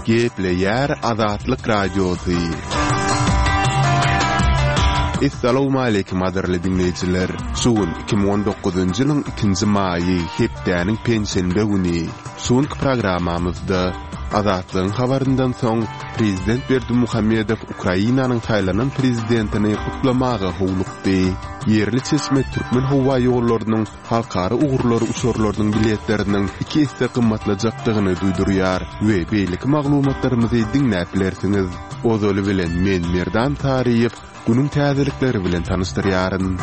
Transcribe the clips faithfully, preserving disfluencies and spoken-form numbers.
Gepleýär Azatlyk Radiosy. Essalawmaleýkim gadyrly diňleýjiler! Şu gün iki müň on dokuzynjy ýylyň ikinji maýy, hepdäniň penşenbe güni. Şu günki programmamyzda Azatlygyň habaryndan soň Prezident Berdimuhamedow Ukrainanyň saýlanan prezidentini gutlamaga howlukdy. Ýerli çeşme türkmen howa ýollarynyň halkara ugurlary uçarlarynyň biletleriniň iki esse gymmatlajakdygyny duýdurýar we beýleki maglumatlarymyzy diňläp bilersiňiz. Ozaly bilen men Merdan Saryýew günüň täzelikleri bilen tanyşdyrýaryn.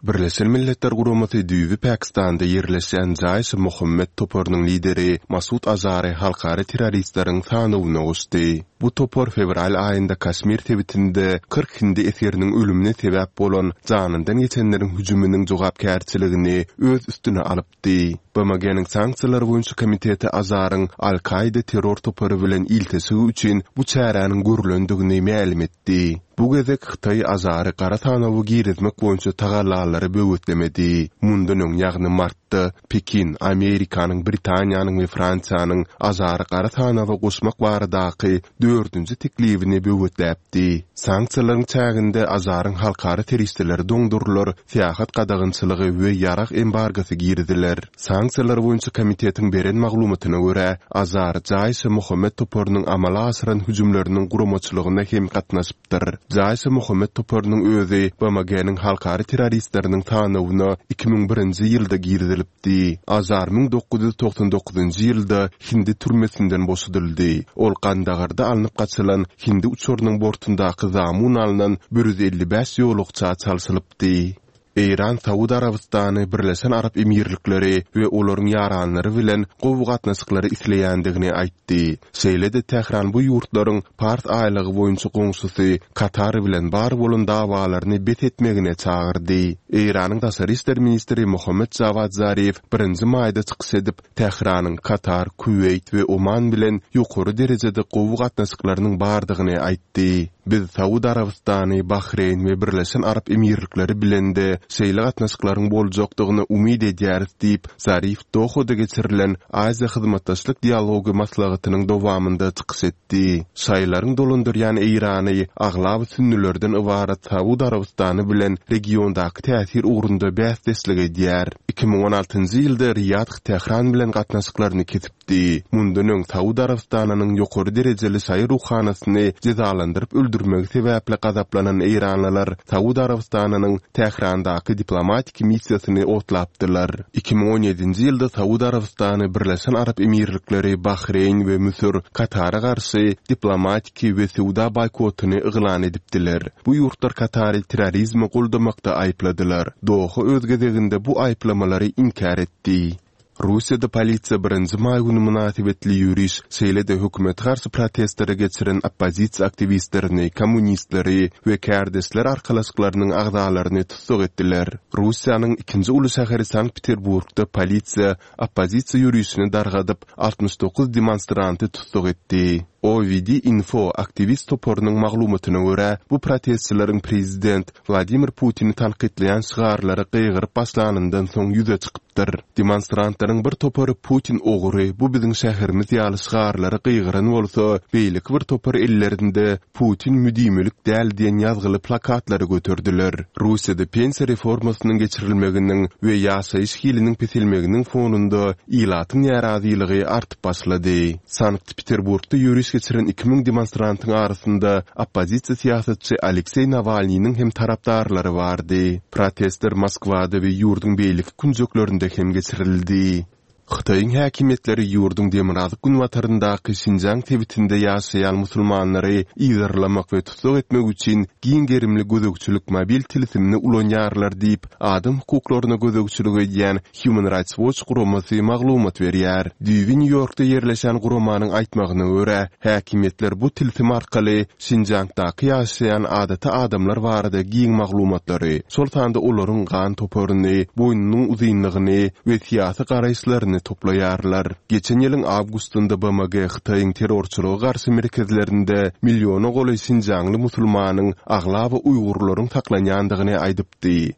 Birleşen Milletler Guramasy düýbi Pakistanda ýerleşýän Jaýş-e-Mohammed toparynyň lideri Masud Azary halkara terroristleriň sanawyna goşdy. Bu topar fewral aýynda Kaşmir sebitinde kyrk hindi esgeriniň ölümine sebäp bolan janyndan geçenleriň hüjüminiň jogapkärçiligini öz üstüne alypdy. B M G-niň sanksiýalar boýunça komiteti Azaryň Al-Kaida terror topary bilen ilteşigi üçin bu çäräniň görülendigini mälim etdi. Bu gezek Hytaý Azary gara sanawa girizmek boýunça tagallalary böwetlemedi. Mundan öň, ýagny martda Pekin, Amerikanyň, Britaniýanyň we Fransiýanyň Azary gara sanawa goşmak baradaky dördünji teklibini böwetläpdi. Sanksiýalaryň çäginde Azaryň halkara serişdeleri doňdurylar, syýahat gadagançylygy we ýarag embargosy giriziler. Sanksiýalar boýunça komitetiň beren maglumatyna görä, Azar Jaýş-e-Mohammed toparynyň amala aşyran hüjümleriniň guramaçylygyna hem gatnaşypdyr. Jaýş-e-Mohammed toparynyň özi B M G-niň halkara terroristleriniň sanawyna iki müň birinji ýylda girizilipdi. Azar müň dokuz ýüz togsan dokuzynjy ýylda Hindi türmesinden boşadyldy. Ol Gandagarda alnyp gaçylan Hindi uçarynyň bortundaky zamun alnan bir ýüz elli bäş ýolagça çalşylypdy. Eýran, Saud Arabystany, Birleşen Arap Emirlikleri we olaryň ýaranlary bilen gowy gatnaşyklary isleýändigini aýtdy. Şeýle-de Tähran bu ýurtlaryň Pars aýlagy boýunça goňşusy Katar bilen bar bolan dawalaryny bes etmegine çagyrdy. Eýranyň daşary işler ministri Mohammed Jawad Zarif birinji maýda çykyş edip, Tähranyň Katar, Kuweýt we Oman bilen ýokary derejede gowy gatnaşyklarynyň bardygyny aýtdy. Biz Saud Arabystany, Bahreýn we Birleşen Arap Emirlikleri bilen-de şeýle gatnaşyklaryň boljakdygyny umyt edýäris diýip, Zarif Dohada geçirilen Aziýa hyzmatdaşlyk dialogy maslahatynyň dowamynda çykyş etdi. Şaýlaryň dolandyrýan Eýrany aglaba sünnülerden ybarat Saud Arabystany bilen regiondaky täsir ugrunda bäsdeşlik edýär. iki müň on altynjy ýylda Riýad Tähran bilen gatnaşyklaryny kesipdi. Mundan öň Saud Arabystanynyň ýokary derejeli şaýy ruhanasyny jezalandyryp öldürmegi sebäpli gazaplanan eýranlylar Saud Arabystanynyň Tährandaky diplomatik missiýasyny otlapdylar. iki müň on ýedinji ýylda Saud Arabystany, Birleşen Arap Emirlikleri, Bahreýn we Müsür Katara garşy diplomatiki we söwda boýkotyny yglan edipdiler. Bu ýurtlar Katary terrorizmi goldamakda aýypladylar. Doha öz gezeginde bu aýyplamalary inkär etdi. Russiýada polisiýa birinji maý günü mynasybetli ýöriş, şeýle-de hökümete garşy protestlere geçiren oppozisiýa aktiwistlerini, kommunistleri we kärdeşler arkalaşyklarynyň agzalaryny tussag etdiler. Russiýanyň ikinji uly şäheri Sankt-Peterburgda polisiýa oppozisiýa ýörişini dargadyp, altmyş dokuz demonstranty tussag etdi. O V D Info aktiwist toparynyň maglumatyna görä, bu protestçileriň prezident Wladimir Putini tankytlaýan şygarlary gygyryp başlanyndan soň ýüze çykypdyr. Demonstrantlaryň bir topary Putin ogry, bu biziň şäherimiz ýaly şygarlary gygyran bolsa, beýleki bir topar ellerinde Putin müdimilik däl diýen ýazgyly plakatlary göterdiler. Russiýada pensiýa reformasynyň geçirilmeginiň we ýaşaýyş hiliniň peselmeginiň fonunda ilatyň närazylygy artyp başlady. Sankt-Peterburgda ýöriş geçiren iki müň demonstrantyň arasynda oppozisiýa syýasatçy Alekseý Nawalnynyň hem tarapdarlary bardy. Protestler Moskwada we ýurduň beýleki künjeklerinde hem geçirildi. Hytaýyň häkimiýetleri ýurduň demirgazyk günbataryndaky Şinjiang sebitinde ýaşaýan musulmanlary yzarlamak we tussag etmek üçin giň gerimli gözegçilik mobil tilsimini ulanýarlar diýip, adam hukuklaryna gözegçilik edýän Human Rights Watch guramasy maglumat berýär. Düýbi Nýu-Ýorkda ýerleşen guramanyň aýtmagyna görä, häkimiýetler bu tilsim arkaly Şinjiangdaky ýaşaýan adaty adamlar barada giň maglumatlary, şol sanda olaryň gan toparyny, boýnunyň uzynlygyny we syýasy garaýyşlaryny toplaýarlar. Geçen ýylyň awgustynda B M G Hytaýyň terrorçylyga garşy merkezlerinde milliona golaý şinjiangly musulmanyň aglaba uýgurlaryň saklanýandygyny aýdypdy.